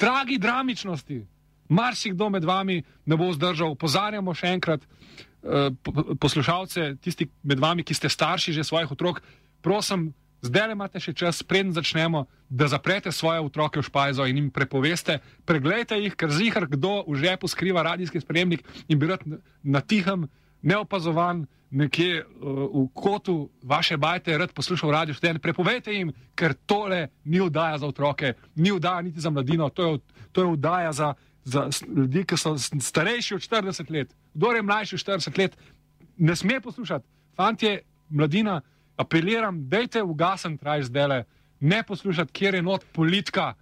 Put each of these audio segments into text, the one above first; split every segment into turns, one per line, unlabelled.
tragi dramičnosti. Marsikdo med vami ne bo zdržal. Opozarjamo še enkrat poslušalce, tisti med vami, ki ste starši že svojih otrok, prosim, zdaj imate še čas, preden začnemo, da zaprete svoje otroke v špajzo in jim prepoveste, preglejte jih, ker zihar kdo v žepu skriva radijski sprejemnik in bi rad na tihem, neopazovan, nekje v kotu vaše bajte, rad poslušal Radio Študent, prepovejte jim, ker tole ni vdaja za otroke, ni vdaja niti za mladino, to je vdaja za ljudi, ki so starejši od 40 let. Kdor je mlajši od 40 let, ne sme poslušati. Fantje, mladina, apeliram, dejte ugasniti raj zdele, ne poslušati, kjer je not politika,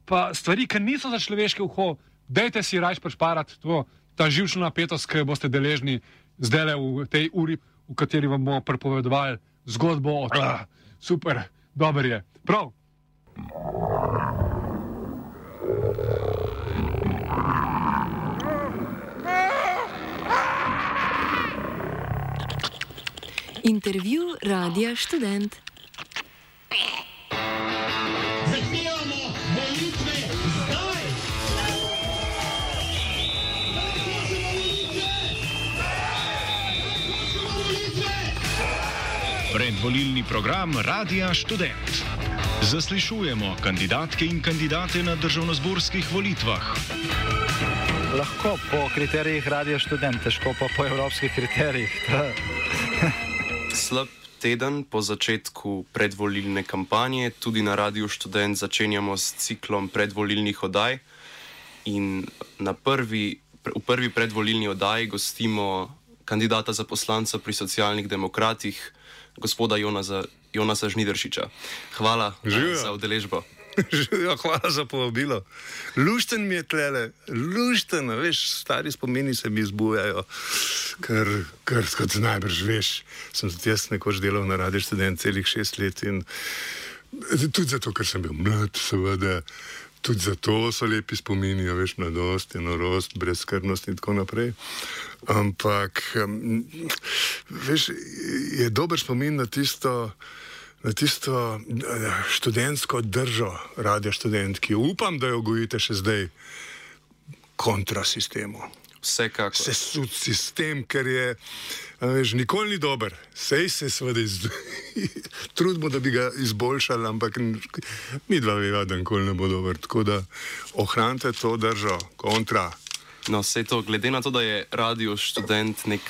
pa stvari, ki niso za človeške uho, dejte si raj prešparati ta živčna napetost, ki boste deležni zdele v tej uri, v kateri vam bomo prepovedovali zgodbo o super, dober je. Prav.
Intervju Radia Študent.
Zahtevamo volitve zdaj!
Predvolilni program Radia Študent. Zaslišujemo kandidatke in kandidate na državnozborskih volitvah.
Lahko po kriterijih Radio Študent, težko pa po evropskih kriterijih.
Slab teden po začetku predvolilne kampanje, tudi na Radiu Študent začenjamo s ciklom predvolilnih oddaj in v prvi predvolilni oddaji gostimo kandidata za poslanca pri Socialnih demokratih, gospoda Jonasa Žnidaršiča. Hvala za udeležbo.
Hvala za povabilo. Lušten mi je tlele, lušten, veš, stari spomini se mi zbujajo, ker kot najbrž veš, sem tudi jaz nekoč delal na Radiu Študent celih 6 let in tudi zato, ker sem bil mlad, seveda, tudi zato so lepi spomini, veš, mladost, norost, brezskrbnost in tako naprej. Ampak, veš, je dober spomin na tisto študentsko držo Radia Študent, ki upam, da jo gojite še zdaj kontra sistemu.
Vsekakor.
Sesud sistem, ker je, veš, nikoli ni dober. Sej se seveda trudimo, da bi ga izboljšali, ampak mi dva veva, da nikoli ne bo dober. Tako da ohranite to držo kontra.
No, vse to, glede na to, da je Radio Študent nek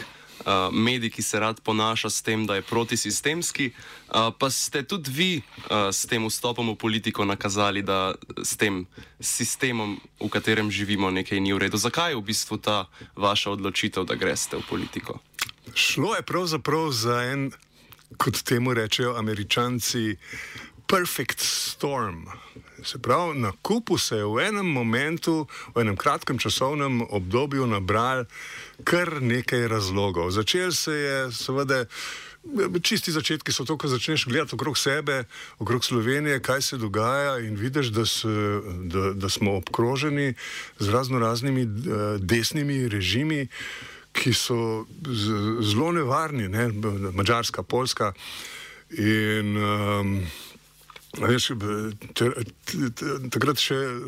medij, ki se rad ponaša s tem, da je protisistemski, pa ste tudi vi s tem vstopom v politiko nakazali, da s tem sistemom, v katerem živimo, nekaj ni v redu. Zakaj je v bistvu ta vaša odločitev, da greste v politiko?
Šlo je pravzaprav za en, kot temu rečejo Američanci, perfect storm. Se pravi, na kupu se je v enem momentu, v enem kratkem časovnem obdobju nabral kar nekaj razlogov. Začel se je, seveda, čisti začetki so to, ko začneš gledati okrog sebe, okrog Slovenije, kaj se dogaja in vidiš, da smo obkroženi z raznoraznimi desnimi režimi, ki so zelo nevarni, ne? Madžarska, Poljska in veš, takrat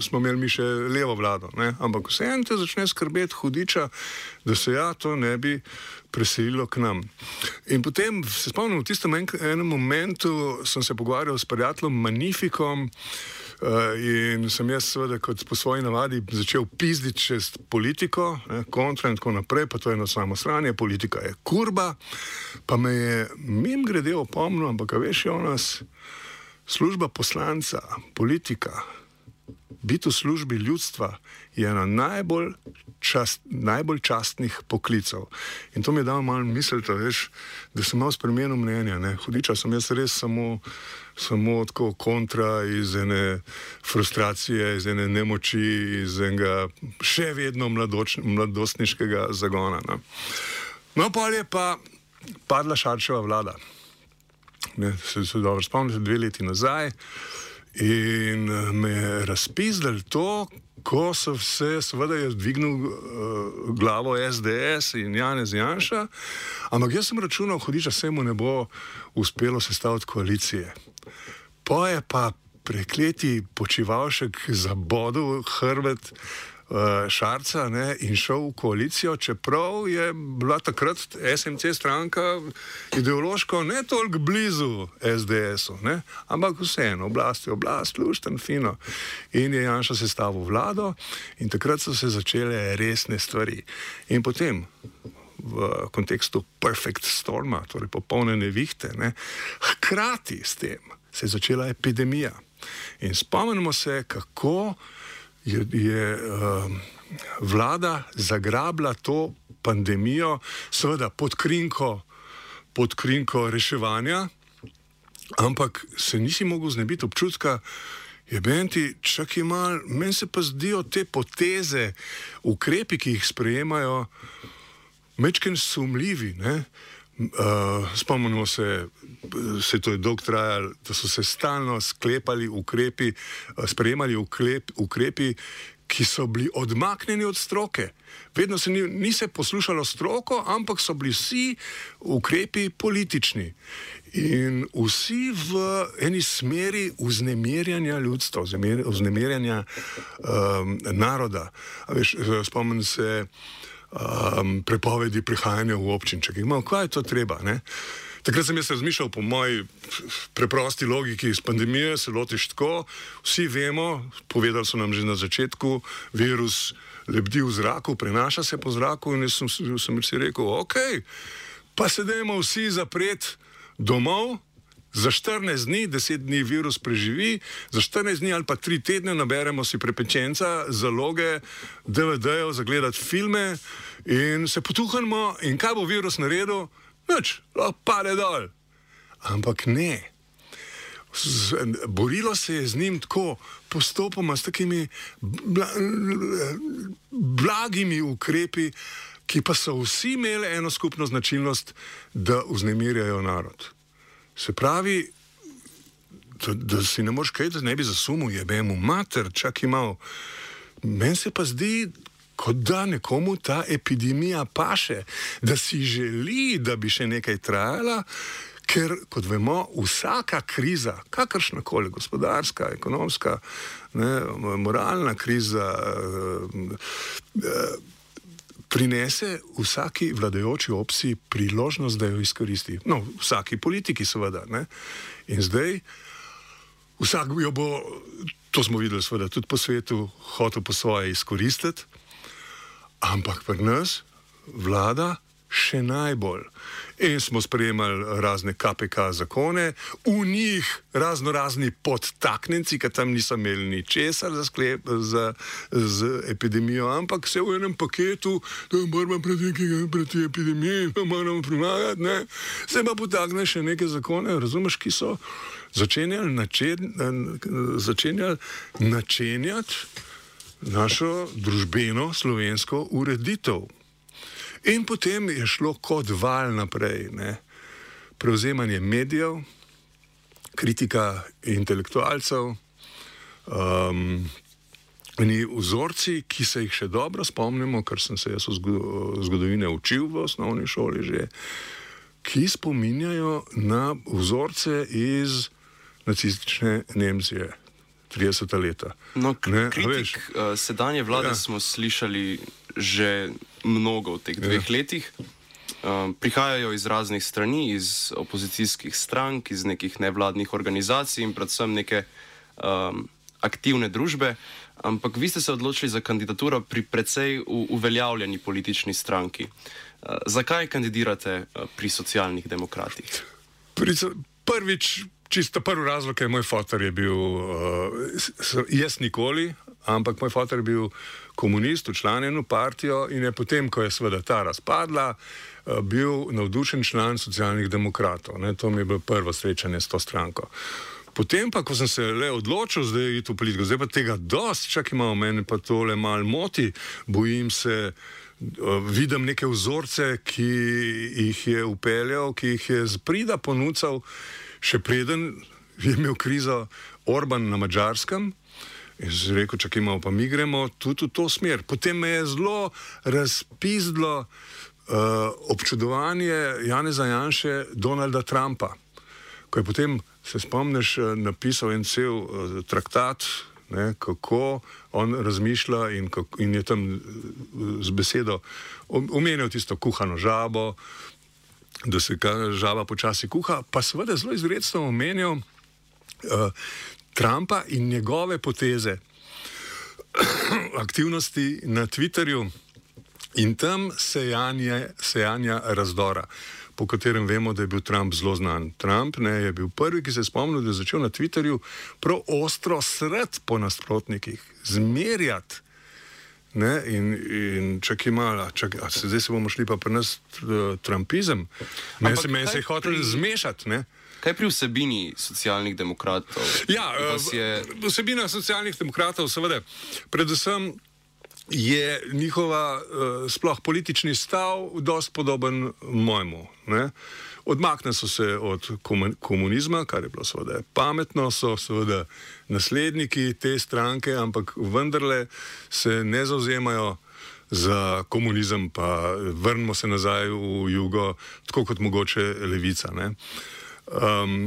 smo imeli mi še levo vlado, ne? Ampak vseeno te začne skrbeti hudiča, da se to ne bi preselilo k nam. In potem se spomnim, v tistem enem momentu sem se pogovarjal s prijateljem Magnifikom in sem jaz seveda kot po svoji navadi začel pizditi čez politiko, kontra in tako naprej, pa to je eno samo sranje, politika je kurba, pa me je mimogrede opomnil, ampak veš, Jonas, služba poslanca, politika, biti v službi ljudstva je ena najbolj častnih poklicev. In to mi je dalo malo misliti, veš, da sem malo spremenil mnenja. Hudiča sem jaz res samo tako kontra iz ene frustracije, iz ene nemoči, iz enega še vedno mladostniškega zagona. No, pol je pa padla Šarčeva vlada. Se dobro spomnite, 2 leti nazaj in me je razpizdali to, ko so se, seveda je dvignil glavo SDS in Janez Janša, ampak jaz sem računal, hudiča, se mu ne bo uspelo sestaviti koalicije. Pa je pa prekleti Počivalšek zabodel hrbet Šarca, ne, in šel v koalicijo, čeprav je bila takrat SMC stranka ideološko ne toliko blizu SDS-u, ne, ampak vseeno, oblast je oblast, lušten, fino. In je Janša sestavil vlado in takrat so se začele resne stvari. In potem v kontekstu perfect storma, torej popolne nevihte, ne, hkrati s tem se je začela epidemija. In spomnimo se, kako je vlada zagrabila to pandemijo, seveda pod krinko reševanja, ampak se nisi mogel znebiti občutka, jebenti, čakaj mal, meni se pa zdijo te poteze, ukrepi, ki jih sprejemajo, mečken sumljivi, ne? Spomnimo se to je dolgo trajalo, da so se stalno sprejemali ukrepi, ki so bili odmaknjeni od stroke. Vedno se ni se poslušalo stroko, ampak so bili vsi ukrepi politični. In vsi v eni smeri vznemirjanja ljudstva, vznemirjanja naroda. Veš, spomnim se prepovedi prihajanja v občinček. Kaj je to treba, ne? Takrat sem jaz razmišljal po moji preprosti logiki iz pandemije, se lotiš tako, vsi vemo, povedali so nam že na začetku, virus lebdi v zraku, prenaša se po zraku in jaz sem si rekel, ok, pa se dajmo vsi zapreti domov, za 14 dni, 10 dni virus preživi, za 14 dni ali pa 3 tedne naberemo si prepečenca, zaloge, DVD-jev, zagledati filme in se potuhnemo in kaj bo virus naredil? Nič, pade dol. Ampak ne. Borilo se je z njim tako postopoma, s takimi blagimi ukrepi, ki pa so vsi imeli eno skupno značilnost, da vznemirjajo narod. Se pravi, da si ne moreš kaj, da ne bi zasumil, jebemu mater, čak imal. Meni se pa zdi, kot da nekomu ta epidemija paše, da si želi, da bi še nekaj trajala, ker, kot vemo, vsaka kriza, kakršnakoli, gospodarska, ekonomska, ne, moralna kriza, prinese vsaki vladajoči opciji priložnost, da jo izkoristi. No, vsaki politiki seveda, ne. In zdaj vsak jo bo, to smo videli seveda tudi po svetu, hotel po svoje izkoristiti, ampak pri nas vlada še najbolj. In smo sprejemali razne KPK zakone, v njih razni podtaknjenci, ki tam niso imeli ničesar z epidemijo, ampak se v enem paketu, da moramo proti epidemiji, da moramo premagati, ne, se pa potakne še neke zakone, razumeš, ki so začenjali načenjati našo družbeno slovensko ureditev. In potem je šlo kot val naprej, ne. Prevzemanje medijev, kritika intelektualcev, vzorci, ki se jih še dobro spomnimo, ker sem se jaz v zgodovine učil v osnovni šoli že, ki spominjajo na vzorce iz nacistične Nemčije 30. leta.
No, kritik sedanje vlade smo slišali že mnogo v teh 2 letih. Prihajajo iz raznih strani, iz opozicijskih strank, iz nekih nevladnih organizacij in predvsem neke aktivne družbe, ampak vi ste se odločili za kandidaturo pri precej uveljavljeni politični stranki. Zakaj kandidirate pri Socialnih demokratih?
Prvič, čisto prvi razlog je, moj foter je bil, jaz nikoli, ampak moj foter je bil komunist, včlanjen v partijo in je potem, ko je seveda ta razpadla, bil navdušen član Socialnih demokratov. Ne, to mi je bilo prvo srečanje s to stranko. Potem pa, ko sem se le odločil zdaj iti v politiko, zdaj pa tega dost, čak ima v meni pa tole mal moti, bojim se, vidim neke vzorce, ki jih je upeljal, ki jih je zprida ponucal, še preden je imel krizo Orban na Madžarskem. In sem rekel, čakaj malo, pa mi gremo tudi v to smer. Potem me je zelo razpizdlo občudovanje Janeza Janše Donalda Trumpa, ko je potem, se spomniš, napisal en cel traktat, ne, kako on razmišlja in je tam z besedo omenil tisto kuhano žabo, da se žaba počasi kuha, pa seveda zelo izrecno omenil Trumpa in njegove poteze, aktivnosti na Twitterju in tam sejanja razdora, po katerem vemo, da je bil Trump zelo znan. Trump je bil prvi, ki se je spomnil, da je začel na Twitterju prav ostro srd po nasprotnikih, zmerjati. Ne, in čakaj malo, zdaj se bomo šli pa pri nas trumpizem. Meni se je hotel zmešati. Ne?
Kaj pri vsebini socialnih demokratov?
Ja, vsebina socialnih demokratov, seveda, predvsem je njihova sploh politični stav dosti podoben mojemu. Ne? Odmakne so se od komunizma, kar je bilo seveda pametno, so seveda nasledniki te stranke, ampak vendarle se ne zauzemajo za komunizem, pa vrnimo se nazaj v jugo, tako kot mogoče levica. Ne?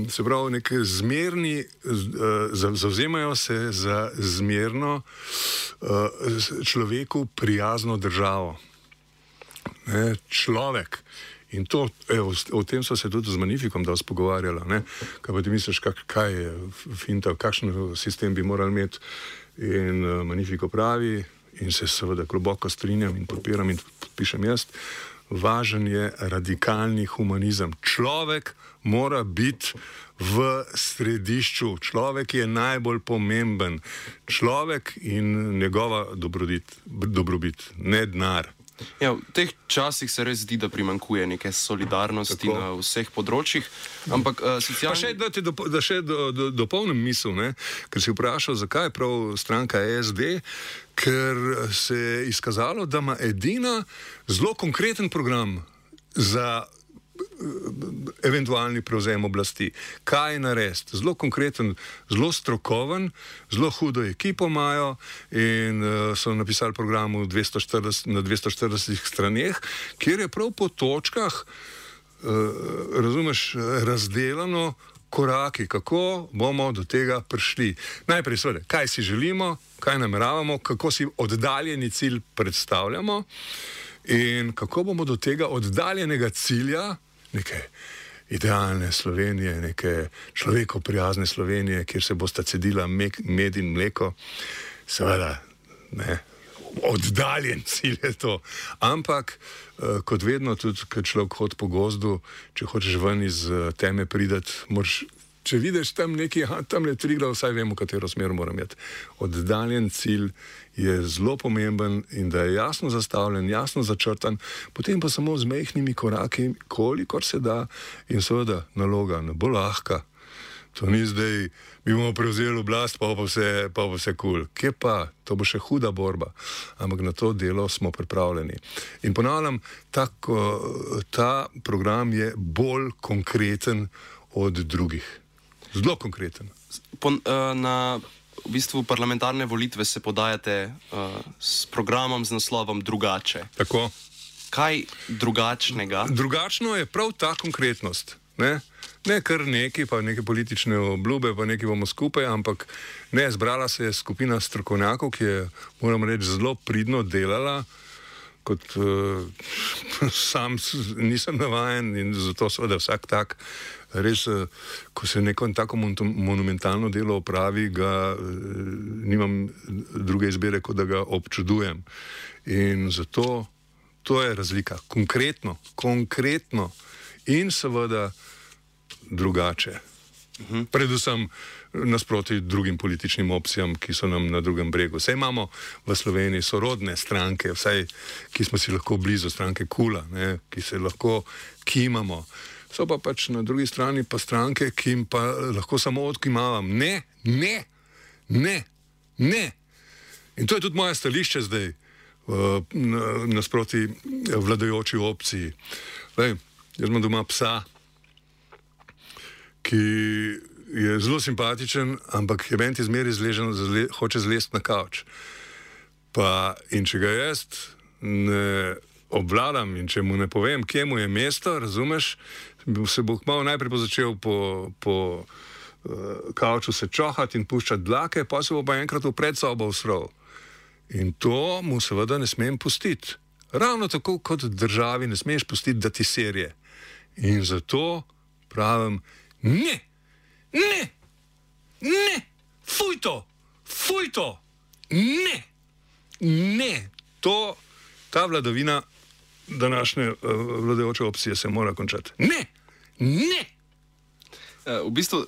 Se pravi, neki zmerni, zauzemajo se za zmerno človeku prijazno državo. Ne? Človek. In to, o tem so se tudi z Magnifikom dosti pogovarjala. Ne? Kaj pa ti misliš, kaj je finta, kakšen sistem bi morali imeti? In Magnifiko pravi, in se seveda globoko strinjam in podpiram in podpišem jaz, važen je radikalni humanizem. Človek mora biti v središču. Človek je najbolj pomemben. Človek in njegova dobrobit, ne denar.
Ja, v teh časih se res zdi, da primanjkuje neke solidarnosti na vseh področjih, ampak socialni...
Pa še, da še dopolnim misel, ne? Ker si vprašal, zakaj je prav stranka SD, ker se je izkazalo, da ima edina zelo konkreten program za eventualni prevzem oblasti. Kaj narediti? Zelo konkreten, zelo strokoven, zelo hudo ekipo imajo in so napisali program na 240 straneh, kjer je prav po točkah, razumeš, razdelano koraki, kako bomo do tega prišli. Najprej seveda, kaj si želimo, kaj nameravamo, kako si oddaljeni cilj predstavljamo in kako bomo do tega oddaljenega cilja, neke idealne Slovenije, neke človeko prijazne Slovenije, kjer se bosta cedila med in mleko, seveda, ne, oddaljen cilj je to. Ampak, kot vedno, tudi, kad človek hodi po gozdu, če hočeš ven iz teme prideti, moraš, če vidiš tam neki, tam je Triglav, vsaj vemo, katero smer moram imeti. Oddaljen cilj je zelo pomemben in da je jasno zastavljen, jasno začrtan, potem pa samo z majhnimi koraki, kolikor se da in seveda naloga ne bo lahka. To ni zdaj, mi bomo prevzeli oblast, pa vse kul. Kje pa? To bo še huda borba. Ampak na to delo smo pripravljeni. In ponavljam, ta program je bolj konkreten od drugih. Zelo konkreten.
V bistvu parlamentarne volitve se podajate s programom z naslovom Drugače.
Tako.
Kaj drugačnega?
Drugačno je prav ta konkretnost. Ne kar neki, pa neke politične obljube, pa neki bomo skupaj, ampak ne, zbrala se je skupina strokovnjakov, ki je, moram reči, zelo pridno delala, kot sam nisem navajen in zato seveda vsak tak, res, ko se neko tako monumentalno delo opravi, ga nimam druge izbire, kot da ga občudujem. In zato to je razlika. Konkretno in seveda drugače. Predvsem nasproti drugim političnim opcijam, ki so nam na drugem bregu. Vse imamo v Sloveniji sorodne stranke, vsaj, ki smo si lahko blizu, stranke KUL-a, ki se lahko kimamo. So pa pač na drugi strani pa stranke, ki jim pa lahko samo odkimavam. Ne. In to je tudi moje stališče zdaj nasproti vladajoči opciji. Jaz imam doma psa, ki je zelo simpatičen, ampak je meni zmeraj zležen, hoče zlesti na kavč. In če ga jaz ne obvladam in če mu ne povem, kje mu je mesto, razumeš, se bo kmalu najprej začel po kavču se čohati in puščati dlake, pa se bo pa enkrat v predsobo usral. In to mu seveda ne smem pustiti. Ravno tako kot državi ne smeš pustiti, da ti serje. In zato pravim, ne, fuj to, ne, ta vladavina današnje vladajoče opcije se mora končati. Ne.
V bistvu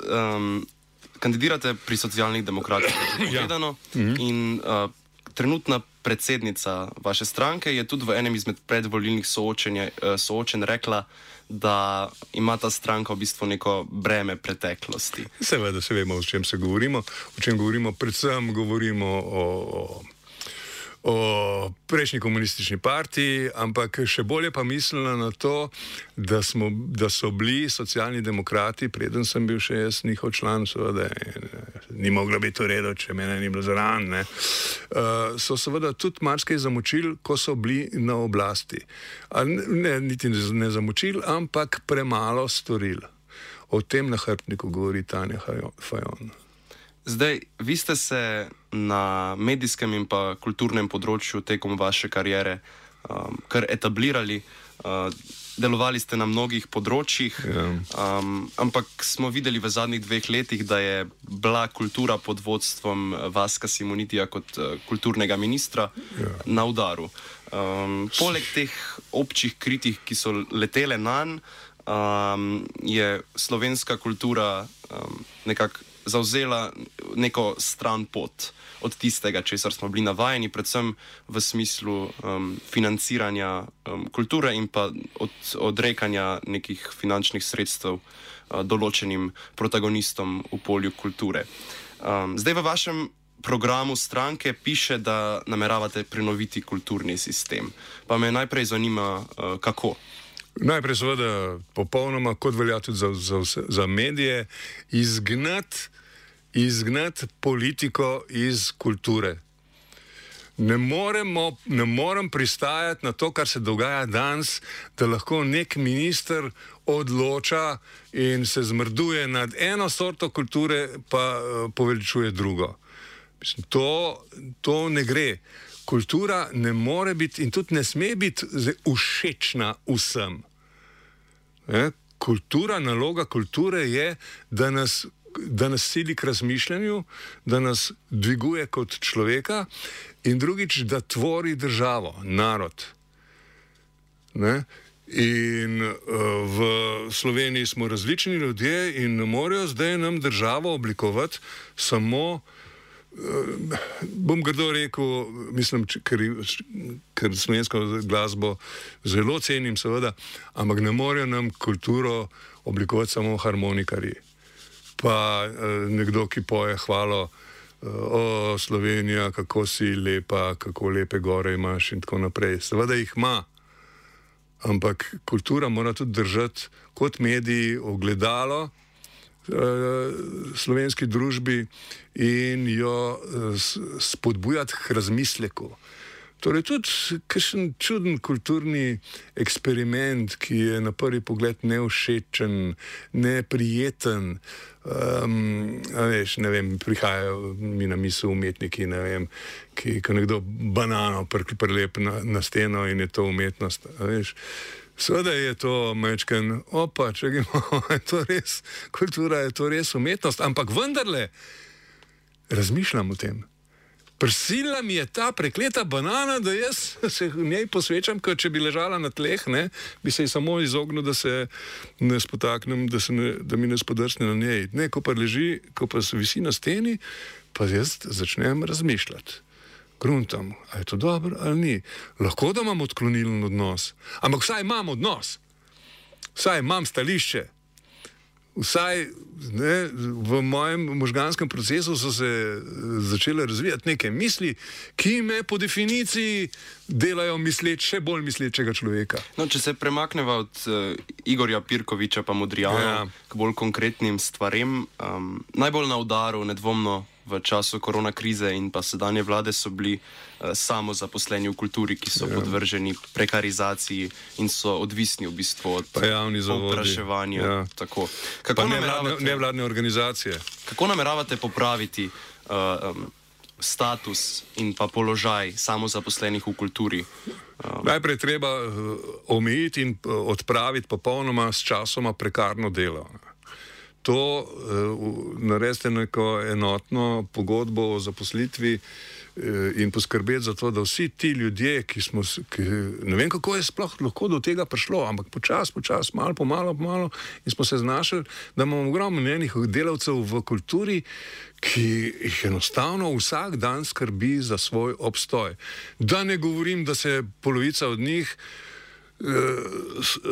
kandidirate pri socialnih demokratih, povedano, in trenutna predsednica vaše stranke je tudi v enem izmed predvolilnih soočenj rekla, da ima ta stranka v bistvu neko breme preteklosti.
Seveda se vemo, o čem se govorimo. O čem govorimo? Predvsem govorimo o prejšnji komunistični partiji, ampak še bolje pa mislila na to, da so bili socialni demokrati, preden sem bil še jaz njihov član, seveda ni moglo biti v redu, če mene ni bilo zraven, so seveda tudi marsikaj zamočili, ko so bili na oblasti. Niti ne zamočili, ampak premalo storili. O tem na hrbtniku govori Tanja Fajon.
Zdaj, vi ste se na medijskem in pa kulturnem področju tekom vaše kariere kar etablirali, delovali ste na mnogih področjih, ampak smo videli v zadnjih 2 letih, da je bila kultura pod vodstvom Vaska Simonitija kot kulturnega ministra na udaru. Poleg teh občih kritik, ki so letele nanj, je slovenska kultura nekako zavzela neko stran pot od tistega, česar smo bili navajeni, predvsem v smislu financiranja kulture in pa odrekanja nekih finančnih sredstev določenim protagonistom v polju kulture. Zdaj v vašem programu stranke piše, da nameravate prenoviti kulturni sistem. Pa me najprej zanima, kako?
Najprej seveda popolnoma, kot velja tudi za medije, izgnati politiko iz kulture. Ne morem pristajati na to, kar se dogaja danes, da lahko nek minister odloča in se zmrduje nad eno sorto kulture, pa poveličuje drugo. Mislim, to ne gre. Kultura ne more biti in tudi ne sme biti všečna vsem. Naloga kulture je, da nas sili k razmišljanju, da nas dviguje kot človeka in drugič, da tvori državo, narod. In v Sloveniji smo različni ljudje in ne morejo zdaj nam državo oblikovati samo, bom grdo rekel, mislim, ker slovensko glasbo zelo cenim, seveda, ampak ne morejo nam kulturo oblikovati samo harmonikarji. Pa nekdo, ki poje hvalo, o Slovenija, kako si lepa, kako lepe gore imaš in tako naprej. Seveda jih ima, ampak kultura mora tudi držati kot mediji ogledalo slovenski družbi in jo spodbujati k razmisleku. Torej tudi kakšen čuden kulturni eksperiment, ki je na prvi pogled nevšečen, neprijeten, ne vem, prihajajo mi na misel umetniki, ne vem, ko nekdo banano prelep na steno in je to umetnost, Seveda je to mečken, če imamo, je to res kultura, je to res umetnost, ampak vendarle razmišljam o tem. Prisila mi je ta prekleta banana, da jaz se v njej posvečam, ker če bi ležala na tleh, bi se ji samo izognil, da se ne spotaknem, da mi ne spodrsne na njej. Ko pa leži, ko pa se visi na steni, pa jaz začnem razmišljati. Gruntam, a je to dobro ali ni. Lahko da imam odklonilen odnos, ampak vsaj imam odnos, vsaj imam stališče, vsaj v mojem možganskem procesu so se začele razvijati neke misli, ki me po definiciji delajo še bolj mislečega človeka.
No, če se premakneva od Igorja Pirkoviča pa Modrijana k bolj konkretnim stvarem, najbolj na udaru nedvomno v času korona krize in pa sedanje vlade so bili samozaposleni v kulturi, ki so podvrženi prekarizaciji in so odvisni v bistvu od povpraševanja.
Ja.
Tako.
Nevladne organizacije.
Kako nameravate popraviti status in pa položaj samozaposlenih v kulturi?
Najprej treba omejiti in odpraviti popolnoma s časoma prekarno delo. To naredite neko enotno pogodbo o zaposlitvi in poskrbeti za to, da vsi ti ljudje, ne vem, kako je sploh lahko do tega prišlo, ampak počas, malo po malo in smo se znašli, da imamo ogromno njenih delavcev v kulturi, ki jih enostavno vsak dan skrbi za svoj obstoj. Da ne govorim, da se polovica od njih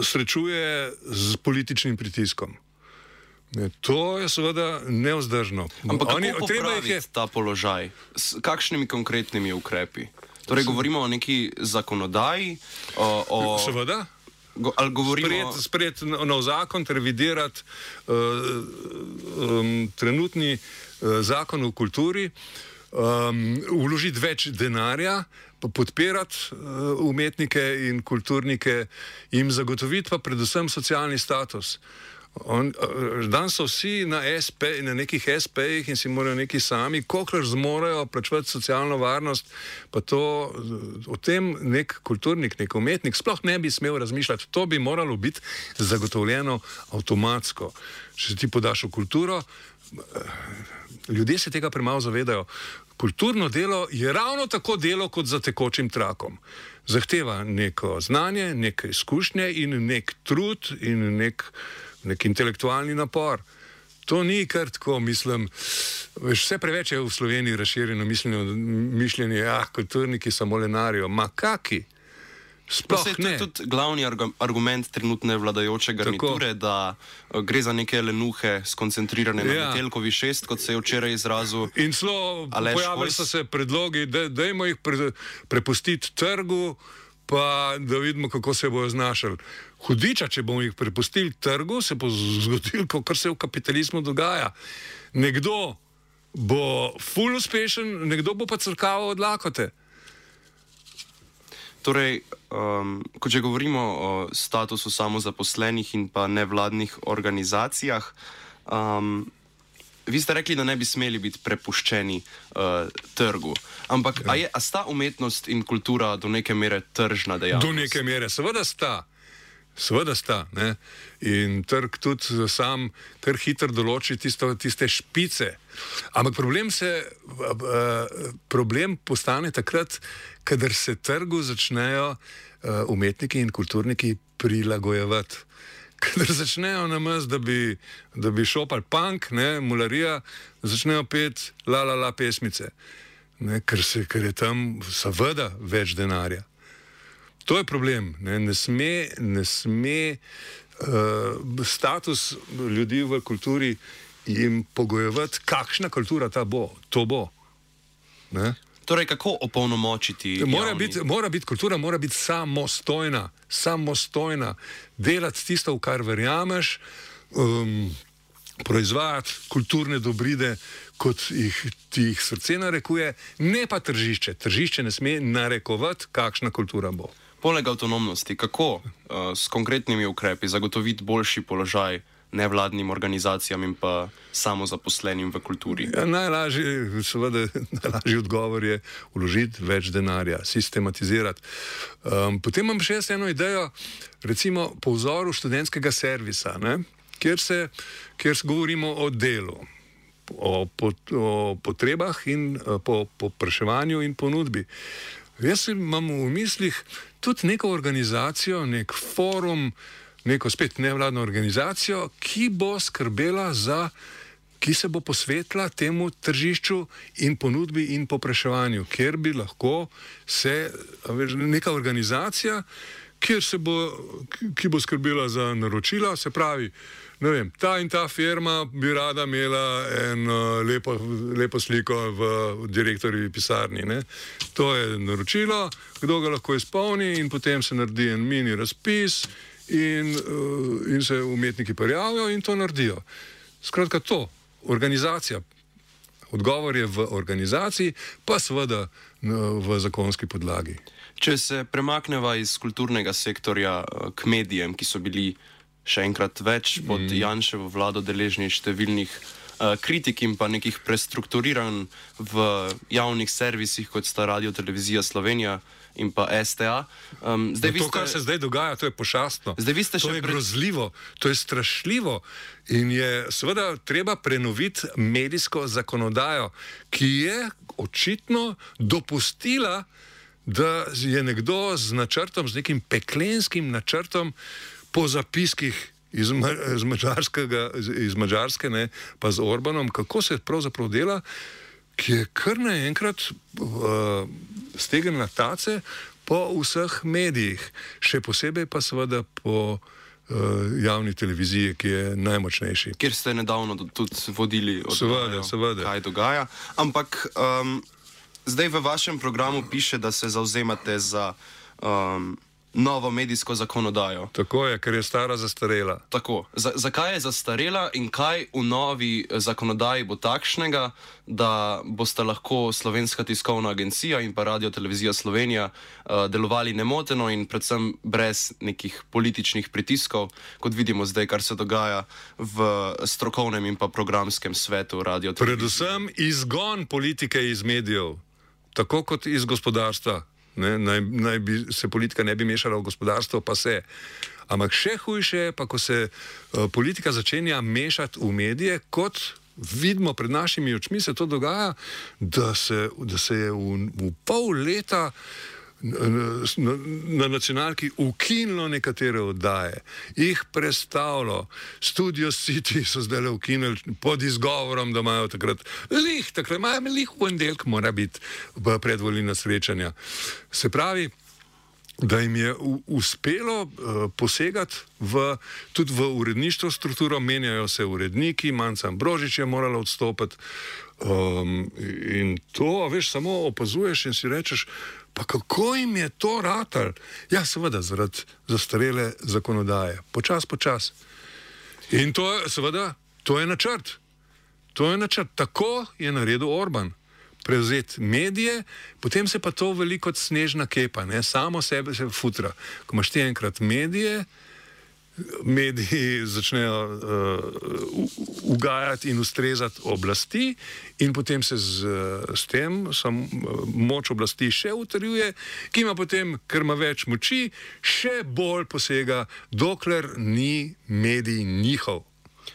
srečuje z političnim pritiskom. To je seveda nevzdržno.
Ampak kako popraviti ta položaj? S kakšnimi konkretnimi ukrepi? Torej, govorimo o neki zakonodaji?
Seveda.
Ali govorimo...
Sprejeti nov zakon, revidirati trenutni zakon o kulturi, vložiti več denarja, podpirati umetnike in kulturnike, jim zagotoviti pa predvsem socialni status. Danes so vsi na nekih SP-jih in si morajo neki sami, kolikor zmorejo plačevati socialno varnost, pa to o tem nek kulturnik, nek umetnik sploh ne bi smel razmišljati. To bi moralo biti zagotovljeno avtomatsko. Če se ti podaš v kulturo, ljudje se tega premalo zavedajo. Kulturno delo je ravno tako delo kot za tekočim trakom. Zahteva neko znanje, neke izkušnje in nek trud in nek intelektualni napor. To ni kar tako, mislim, vse preveč je v Sloveniji razširjeno mišljenje, kulturniki samo lenarijo. Ma kaki? Sploh ne.
To je tudi glavni argument trenutne vladajoče garniture, da gre za neke lenuhe skoncentrirane na Metelkovi 6, kot se je včeraj izrazil.
In celo pojavili so se predlogi, dajmo jih prepustiti trgu, pa da vidimo, kako se bojo znašali. Hudiča, če bomo jih prepustili trgu, se bo zgodilo, kar se v kapitalizmu dogaja. Nekdo bo ful uspešen, nekdo bo pa crkaval od lakote.
Torej, ko že govorimo o statusu samozaposlenih in pa nevladnih organizacijah, vi ste rekli, da ne bi smeli biti prepuščeni trgu. Ampak a sta umetnost in kultura do neke mere tržna dejavnost?
Do neke mere, seveda sta. Seveda sta. Ne? In trg tudi sam kar hitro določi tiste špice. Ampak problem postane takrat, kadar se trgu začnejo umetniki in kulturniki prilagojevati. Kadar začnejo namest, da bi šopal punk, mularija, začnejo peti la pesmice. Ker je tam seveda več denarja. To je problem. Ne sme status ljudi v kulturi jim pogojevati, kakšna kultura to bo. Ne?
Torej, kako opolnomočiti?
Kultura mora biti samostojna, delati tisto, v kar verjameš, proizvajati kulturne dobrine, kot ti jih srce narekuje, ne pa tržišče. Tržišče ne sme narekovati, kakšna kultura bo.
Poleg avtonomnosti, kako s konkretnimi ukrepi zagotoviti boljši položaj nevladnim organizacijam in pa samozaposlenim v kulturi?
Najlažji odgovor je vložiti več denarja, sistematizirati. Potem imam še eno idejo, recimo po vzoru študentskega servisa, kjer govorimo o delu, o potrebah in po povpraševanju in ponudbi. Jaz imam v mislih tudi neko organizacijo, nek forum, neko spet nevladno organizacijo, ki bo skrbela ki se bo posvetila temu tržišču in ponudbi in povpraševanju, kjer bi lahko neka organizacija, ki bo skrbela za naročila, se pravi, ne vem, ta in ta firma bi rada imela eno lepo sliko v direktorjevi pisarni. Ne? To je naročilo, kdo ga lahko izpolni in potem se naredi en mini razpis in se umetniki prijavijo in to naredijo. Skratka to, organizacija Odgovor je v organizaciji, pa seveda v zakonski podlagi.
Če se premakneva iz kulturnega sektorja k medijem, ki so bili še enkrat več pod Janševo vlado deležni številnih kritik in pa nekih prestrukturiranj v javnih servisih, kot sta Radio Televizija Slovenija in pa STA.
Kar se zdaj dogaja, to je pošastno. To je grozljivo, to je strašljivo in je seveda treba prenoviti medijsko zakonodajo, ki je očitno dopustila, da je nekdo z načrtom, z nekim peklenskim načrtom po zapiskih iz Madžarske, ne, pa z Orbanom, kako se pravzaprav dela, ki je kar naenkrat stegen na tace po vseh medijih, še posebej pa seveda po javni televiziji, ki je najmočnejši.
Kjer ste nedavno tudi vodili
seveda.
Kaj dogaja. Ampak zdaj v vašem programu piše, da se zavzemate za novo medijsko zakonodajo.
Tako je, ker je stara zastarela.
Tako. Zakaj je zastarela in kaj v novi zakonodaji bo takšnega, da boste lahko Slovenska tiskovna agencija in pa Radio Televizija Slovenija delovali nemoteno in predvsem brez nekih političnih pritiskov, kot vidimo zdaj, kar se dogaja v strokovnem in pa programskem svetu Radio Televizije.
Predvsem izgon politike iz medijev, tako kot iz gospodarstva. Naj bi se politika ne bi mešala v gospodarstvo, pa se. Ampak še hujše je pa, ko se politika začenja mešati v medije, kot vidimo pred našimi očmi, se to dogaja, da se je v pol leta na nacionalki ukinilo nekatere oddaje, jih prestavilo. Studio City so zdaj ukinili pod izgovorom, da imajo takrat v ponedeljek mora biti predvolilna srečanja. Se pravi, da jim je uspelo posegati tudi v uredništvo strukturo, menjajo se uredniki, Manca Ambrožič je morala odstopiti in to, veš, samo opazuješ in si rečeš, pa kako jim je to ratal? Ja, seveda, zaradi zastarele zakonodaje. Počas. In to je, seveda, to je načrt. Tako je naredil Orban. Prevzeti medije, potem se pa to veliko kot snežna kepa, ne? Samo sebe se futra. Ko imaš ti enkrat mediji začnejo ugajati in ustrezati oblasti in potem se s tem moč oblasti še utrjuje, ki ima potem, ker ima več moči, še bolj posega, dokler ni medij njihov.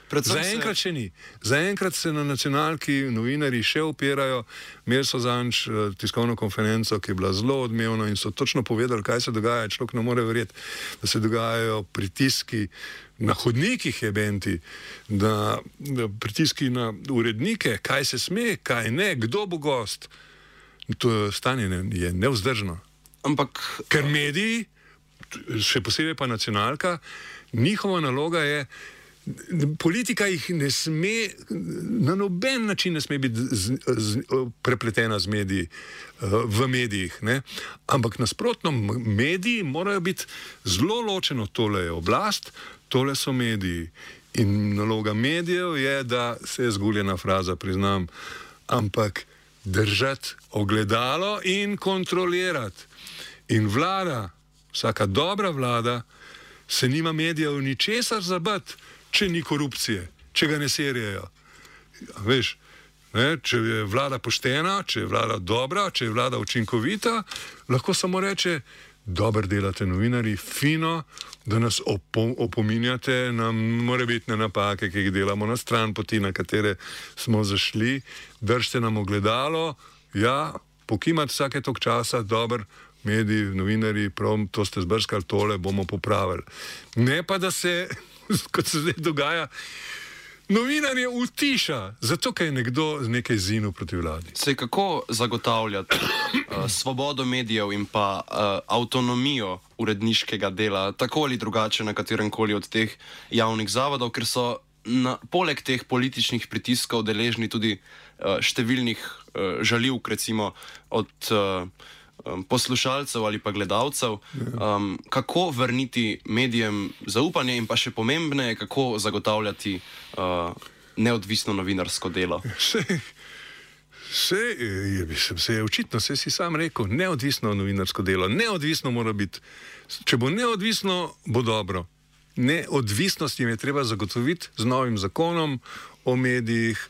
Zaenkrat še ni. Zaenkrat se na nacionalki novinarji še opirajo. Imeli so zadnjič tiskovno konferenco, ki je bila zelo odmevna in so točno povedali, kaj se dogaja. Človek ne more verjeti, da se dogajajo pritiski na hodnikih jebenti, da pritiski na urednike, kaj se sme, kaj ne, kdo bo gost. To stanje je nevzdržno. Ker mediji, še posebej pa nacionalka, njihova naloga je, politika jih ne sme, na noben način ne sme biti prepletena z mediji, v medijih, ne? Ampak nasprotno, mediji morajo biti zelo ločeno, tole je oblast, tole so mediji. In naloga medijev je, da se je zguljena fraza, priznam, ampak držati ogledalo in kontrolirati. In vlada, vsaka dobra vlada, se nima medijev ničesar zabati, če ni korupcije, če ga ne serijejo. Veš, ne, če je vlada poštena, če je vlada dobra, če je vlada učinkovita, lahko samo reče, dobro delate novinarji, fino, da nas opominjate na morebitne napake, ki jih delamo na stran poti, na katere smo zašli, držite nam ogledalo, ja, pokimati vsake tok časa, dobro, mediji, novinarji, prav, to ste zbrskali, tole bomo popravili. Ne pa, da se, kot se zdaj dogaja, novinarje utiša, zato ker je nekdo nekaj zinil proti vladi.
Sej kako zagotavljati svobodo medijev in pa avtonomijo uredniškega dela, tako ali drugače na katerem koli od teh javnih zavodov, ker so poleg teh političnih pritiskov deležni tudi številnih žaljivk, recimo od poslušalcev ali pa gledalcev, kako vrniti medijem zaupanje in pa še pomembneje, kako zagotavljati neodvisno novinarsko delo.
Se je očitno, se si sam rekel, neodvisno novinarsko delo, neodvisno mora biti. Če bo neodvisno, bo dobro. Neodvisnost jim je treba zagotoviti z novim zakonom o medijih,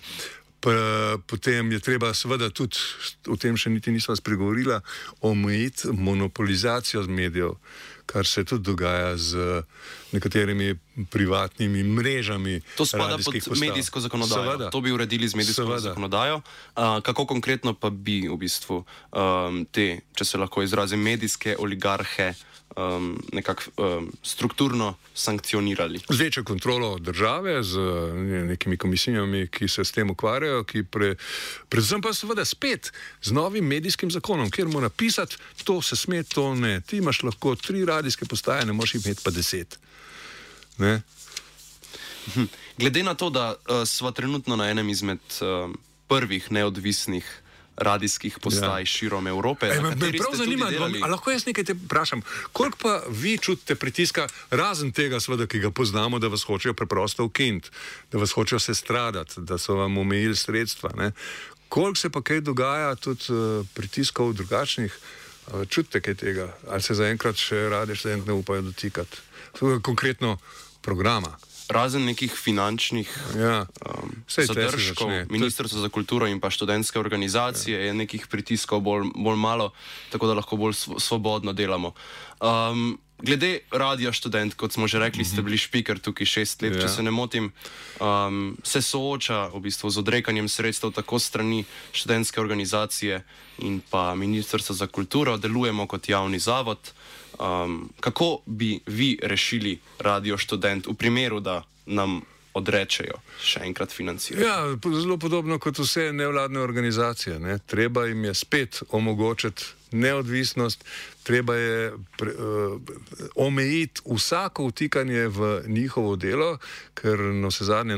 potem je treba seveda tudi, o tem še niti nisva spregovorila, omejiti monopolizacijo medijev, kar se tudi dogaja z nekaterimi privatnimi mrežami.
To spada pod medijsko zakonodajo. Seveda. To bi uredili z medijsko zakonodajo. Kako konkretno pa bi v bistvu te, če se lahko izrazim, medijske oligarhe nekako strukturno sankcionirali?
Z večjo kontrolo države, z nekimi komisijami, ki se s tem ukvarjajo, predvsem pa seveda spet z novim medijskim zakonom, kjer mora pisati, to se sme, to ne. Ti imaš lahko 3 radijske postaje, ne moreš imeti pa 10. Ne?
Glede na to, da sva trenutno na enem izmed prvih neodvisnih radijskih postaj širom Evrope.
Me prav zanima, lahko jaz nekaj te vprašam, koliko pa vi čutite pritiska, razen tega seveda, ki ga poznamo, da vas hočejo preprosto ukiniti, da vas hočejo sestradati, da so vam omejili sredstva, ne? Koliko se pa kaj dogaja tudi pritiskov drugačnih, čutite kaj tega, ali se zaenkrat še Radio Študent ne upajo dotikati? Konkretno programa.
Razen nekih finančnih zadržkov, Ministrstvo za kulturo in pa študentske organizacije je nekih pritiskov bolj malo, tako da lahko bolj svobodno delamo. Glede Radia Študent, kot smo že rekli, ste bili špiker tukaj 6 let, če se ne motim, se sooča v bistvu z odrekanjem sredstev tako strani študentske organizacije in pa Ministrstva za kulturo, delujemo kot javni zavod. Kako bi vi rešili Radio Študent v primeru, da nam odrečejo še enkrat financiranje?
Ja, zelo podobno kot vse nevladne organizacije, ne? Treba jim je spet omogočiti neodvisnost, treba je omejiti vsako vtikanje v njihovo delo, ker na vse zadnje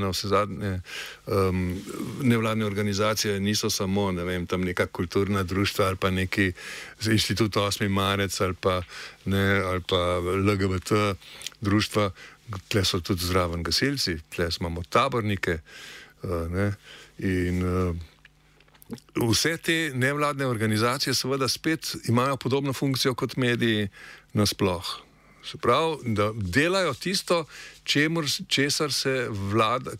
nevladne organizacije niso samo, ne vem, tam neka kulturna društva ali pa neki inštitut 8. marec ali pa LGBT društva, tle so tudi zraven gasilci, tle imamo tabornike, ne, in vse te nevladne organizacije seveda spet imajo podobno funkcijo kot mediji nasploh. Se pravi, da delajo tisto, česar se vlada,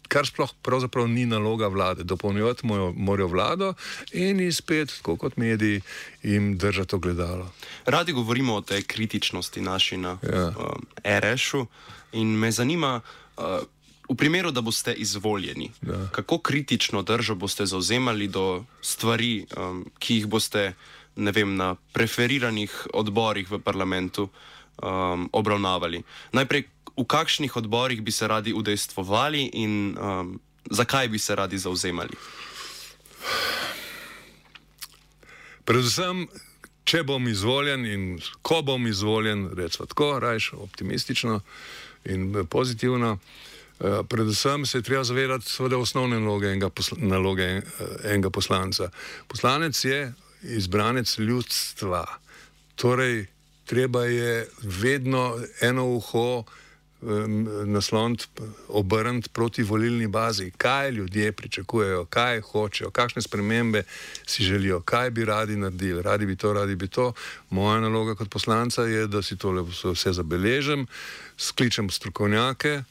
kar sploh pravzaprav ni naloga vlade. Dopolnjevati morajo vlado in spet, tako kot mediji, jim držati ogledalo.
Radi govorimo o tej kritičnosti naši na RŠ-u in me zanima, v primeru, da boste izvoljeni, kako kritično držo boste zauzemali do stvari, ki jih boste, ne vem, na preferiranih odborih v parlamentu obravnavali? Najprej, v kakšnih odborih bi se radi udejstvovali in zakaj bi se radi zauzemali?
Predvsem, če bom izvoljen in ko bom izvoljen, recimo tako, rajš optimistično in pozitivno, predvsem se je treba zavedati seveda osnovne naloge enega poslanca. Poslanec je izbranec ljudstva, torej treba je vedno eno uho nasloniti, obrniti proti volilni bazi, kaj ljudje pričakujejo, kaj hočejo, kakšne spremembe si želijo, kaj bi radi naredili, radi bi to. Moja naloga kot poslanca je, da si tole vse zabeležim, skličem strokovnjake,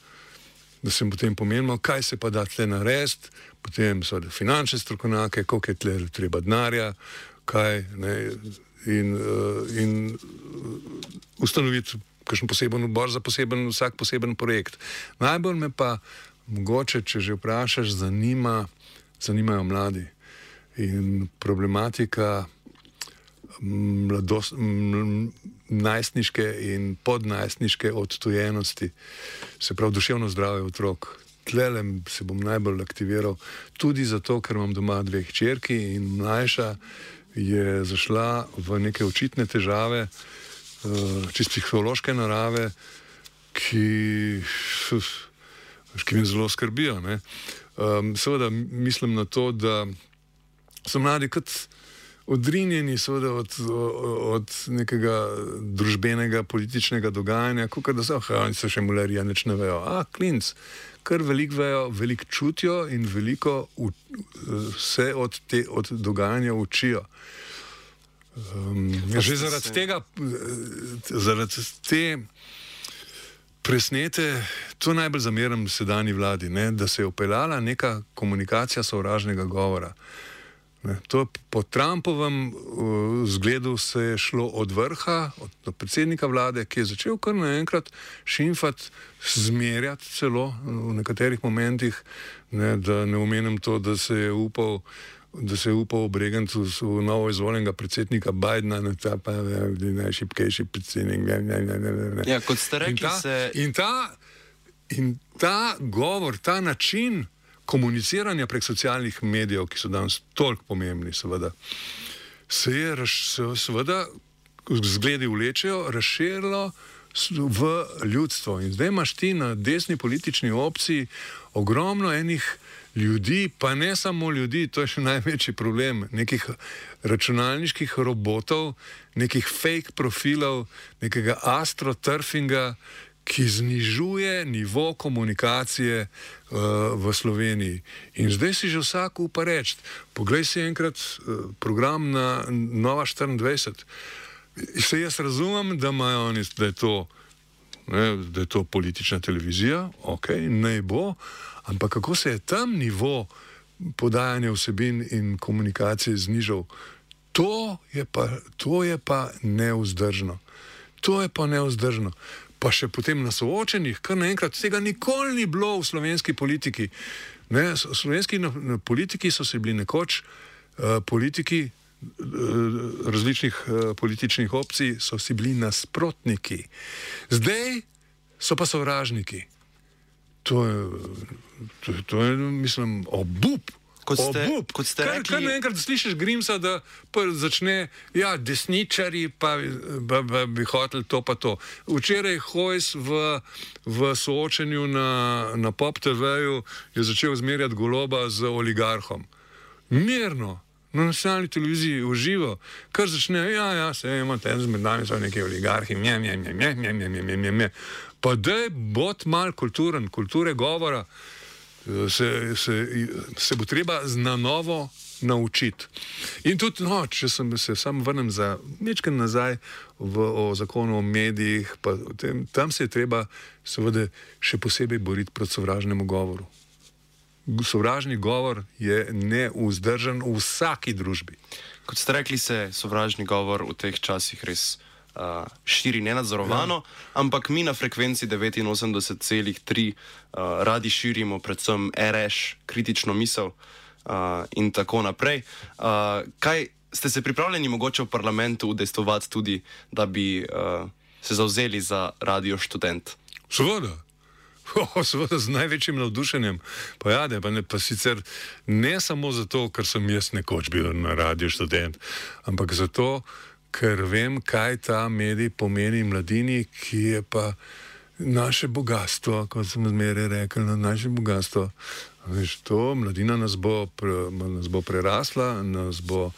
da se potem pomenimo, kaj se pa da tle narediti, potem so finančne strokovnjake, koliko je tle treba denarja, kaj, ne, in ustanoviti kakšen poseben odbor za vsak poseben projekt. Najbolj me pa mogoče, če že vprašaš, zanimajo mladi in problematika najstniške in podnajstniške odtujenosti, se pravi duševno zdravje otrok. Tlele se bom najbolj aktiviral, tudi zato, ker imam doma 2 hčerki in mlajša je zašla v neke očitne težave, čisto psihološke narave, ki me zelo skrbijo, ne. Seveda mislim na to, da so mladi kot odrinjeni seveda od nekega družbenega, političnega dogajanja, kot da oni so še mularija, nič ne vejo. Klinc, kar veliko vejo, veliko čutijo in veliko se od dogajanja učijo. Že zaradi te presnete, to najbolj zameram sedanji vladi, ne, da se je upeljala neka komunikacija sovražnega govora. To po Trumpovem zgledu se je šlo od vrha, od predsednika vlade, ki je začel kar naenkrat šimfati, zmerjati celo v nekaterih momentih, ne, da ne omenim to, da se je upal obregati v novo izvoljenega predsednika Bidena, ta pa je najšibkejši predsednik.
Ja, kot ste rekli,
In ta govor, ta način komuniciranja prek socialnih medijev, ki so danes toliko pomembni, seveda, se je seveda, zgledi vlečejo, razširilo v ljudstvo. In zdaj imaš ti na desni politični opciji ogromno enih ljudi, pa ne samo ljudi, to je še največji problem, nekih računalniških robotov, nekih fake profilov, nekega astroturfinga, ki znižuje nivo komunikacije v Sloveniji. In zdaj si že vsak upa reči, poglej si enkrat program na Nova 24. Se jaz razumem, da imajo oni, da je to politična televizija, ok, naj bo, ampak kako se je tam nivo podajanja vsebin in komunikacije znižal, to je pa nevzdržno. To je pa nevzdržno. Pa še potem na soočenjih, kar naenkrat tega nikoli ni bilo v slovenski politiki. Ne, slovenski politiki so se bili nekoč, politiki različnih političnih opcij so si bili nasprotniki. Zdaj so pa sovražniki. To je mislim, obup.
Kot ste rekli,
kar naenkrat slišiš Grimsa, da začne, desničari pa bi hoteli to pa to. Včeraj Hojs v soočenju na Pop TV-ju je začel zmerjati Goloba z oligarhom. Mirno, na nacionalni televiziji, uživo, kar začne, se imate, med nami so neki oligarhi, pa daj bod mal kulturen, kulture govora, se bo treba na novo naučiti. In tudi, če se sam vrnem za nekaj nazaj o zakonu o medijih, pa tam se je treba seveda še posebej boriti proti sovražnemu govoru. Sovražni govor je neuzdržen v vsaki družbi.
Kot ste rekli, se sovražni govor v teh časih res širi nenadzorovano, ampak mi na frekvenci 89,3 radi širimo predvsem RŠ, kritično misel in tako naprej. Kaj ste se pripravljeni mogoče v parlamentu udejstvovati tudi, da bi se zavzeli za Radio Študent?
Seveda. Seveda z največjim navdušenjem. Pa sicer ne samo zato, ker sem jaz nekoč bil na Radio Študent, ampak zato, ker vem, kaj ta medij pomeni mladini, ki je pa naše bogatstvo, kot sem zmeraj rekel, naše bogatstvo. Veš, to mladina nas bo prerasla, nas bo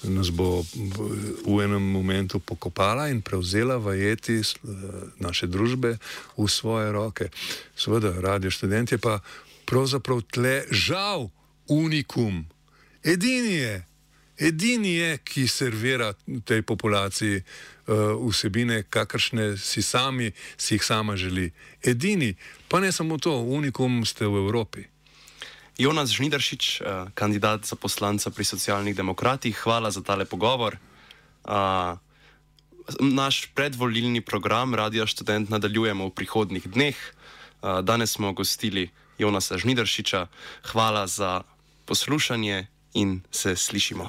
v enem momentu pokopala in prevzela vajeti naše družbe v svoje roke. Seveda, Radio Študent je pa pravzaprav tle žal unikum. Edini je, ki servira tej populaciji vsebine, kakršne si jih sama želi. Edini, pa ne samo to, unikum ste v Evropi.
Jonas Žnidaršič, kandidat za poslanca pri Socialnih demokratih, hvala za tale pogovor. Naš predvolilni program Radia Študent nadaljujemo v prihodnjih dneh. Danes smo gostili Jonasa Žnidaršiča. Hvala za poslušanje in se slišimo.